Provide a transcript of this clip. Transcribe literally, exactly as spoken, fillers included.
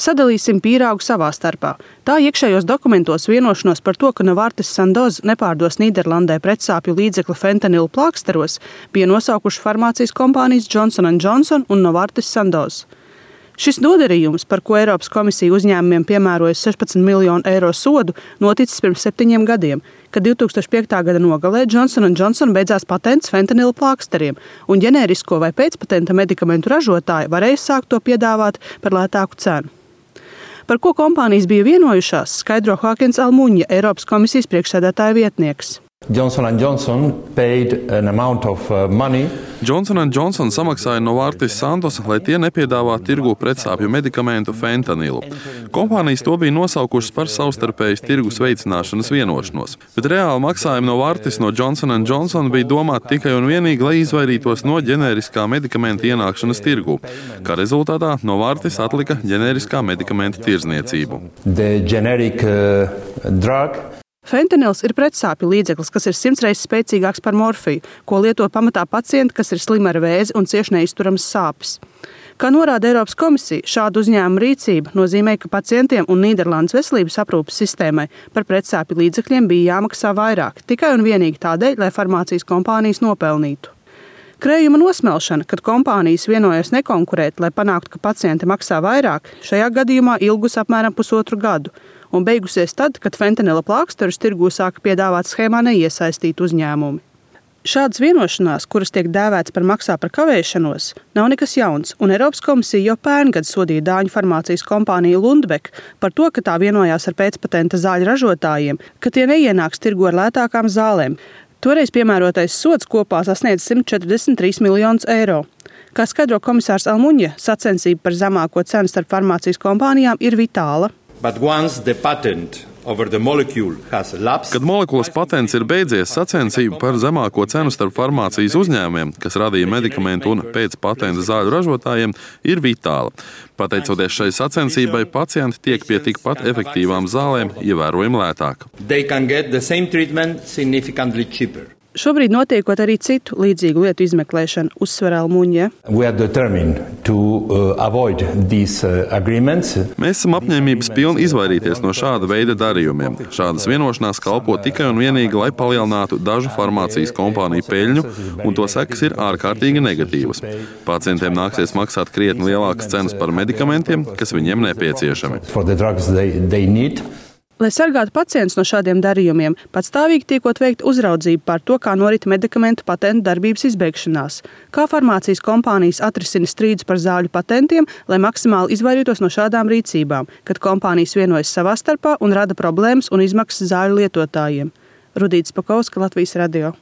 Sadalīsim pīrāgu savā starpā. Tā iekšējos dokumentos vienošanos par to, ka Novartis Sandoz nepārdos Nīderlandē pretsāpju līdzekli fentanilu plāksteros, bija nosaukuši farmācijas kompānijas Johnson and Johnson un Novartis Sandoz. Šis nodarījums, par ko Eiropas komisija uzņēmumiem piemēroja sešpadsmit miljonu eiro sodu, noticis pirms septiņiem gadiem, kad divi tūkstoši piektā gada nogalē Johnson and Johnson beidzās patents fentanila plāksteriem, un ģenērisko vai pēcpatenta medikamentu ražotāji varēja sākt to piedāvāt par lētāku cenu. Par ko kompānijas bija vienojušās, skaidro Joaquins Almuņa, Eiropas komisijas priekšsēdētāja vietnieks. Johnson and Johnson paid an amount of money. Johnson and Johnson samaksāja Novartis Sandoz, lai tie nepiedāvātu tirgū pretsāpju medikamentu fentanilu. Kompānijas to bija nosaukušas par savstarpējas tirgus veicināšanas vienošanos, bet reāli maksājumi Novartis no Johnson and Johnson bija domāti tikai un vienīgi, lai izvairītos no ģenēriskā medikamenta ienākšanas tirgū. Kā rezultātā Novartis atlika ģenēriskā medikamenta tirdzniecību. The generic uh, drug Fentanils ir pretsāpju līdzeklis, kas ir simts reizes spēcīgāks par morfiju, ko lieto pamatā pacienti, kas ir slimi ar vēzi un cieši neizturamas sāpes. Kā norāda Eiropas komisija, šāda uzņēmuma rīcība nozīmē, ka pacientiem un Nīderlandes veselības aprūpes sistēmai par pretsāpju līdzekļiem bija jāmaksā vairāk, tikai un vienīgi tādēļ, lai farmācijas kompānijas nopelnītu. Krējuma nosmelšana, kad kompānijas vienojas nekonkurēt, lai panāktu, ka pacienti maksā vairāk, šajā gadījumā ilgus apmēram pusotru gadu, un beigusies tad, kad fentanila plāksterus tirgū sāka piedāvāt schēmā neiesaistīti uzņēmumi. Šādas vienošanās, kuras tiek dēvētas par maksā par kavēšanos, nav nekas jauns, un Eiropas komisija jau pērngad sodīja dāņu farmācijas kompāniju Lundbeck par to, ka tā vienojās ar pēcpatenta zāļu ražotājiem, ka tie neienāks tirgu ar lētākām zālēm. Toreiz piemērotais sods kopā sasniedz simt četrdesmit trīs miljonus eiro. Kā skaidro komisārs Almuņa, sacensība par zemāko cenu starp farmācijas kompānijām ir vitāla. But once the patent over the molecule has lapsed, Kad molekulas patents ir beidzies, sacensība par zemāko cenu starp farmācijas uzņēmumiem, kas radīja medikamentu un pēc patenta zāļu ražotājiem, ir vitāla. Pateicoties šai sacensībai, pacienti tiek pie tikpat efektīvām zālēm ievērojami lētāk. they can get the same treatment significantly cheaper. Šobrīd notiekot arī citu līdzīgu lietu izmeklēšanu, uzsver Almuņa. we are determined to uh, avoid these uh, agreements. Mēs esam apņēmības pilni izvairīties no šāda veida darījumiem. Šādas vienošanās kalpo tikai un vienīgi, lai palielinātu dažu farmācijas kompāniju peļņu, un to sekas ir ārkārtīgi negatīvas. Pacientiem nāksies maksāt krietni lielākas cenas par medikamentiem, kas viņiem nepieciešami. For the drugs they, they need. Lai sargātu pacientus no šādiem darījumiem, patstāvīgi tiekot veikta uzraudzība par to, kā norit medikamentu patentu darbības izbeigšanās, kā farmācijas kompānijas atrisina strīdus par zāļu patentiem, lai maksimāli izvairītos no šādām rīcībām, kad kompānijas vienojas savā starpā un rada problēmas un izmaksas zāļu lietotājiem. Rudīta Spakauska, Latvijas radio.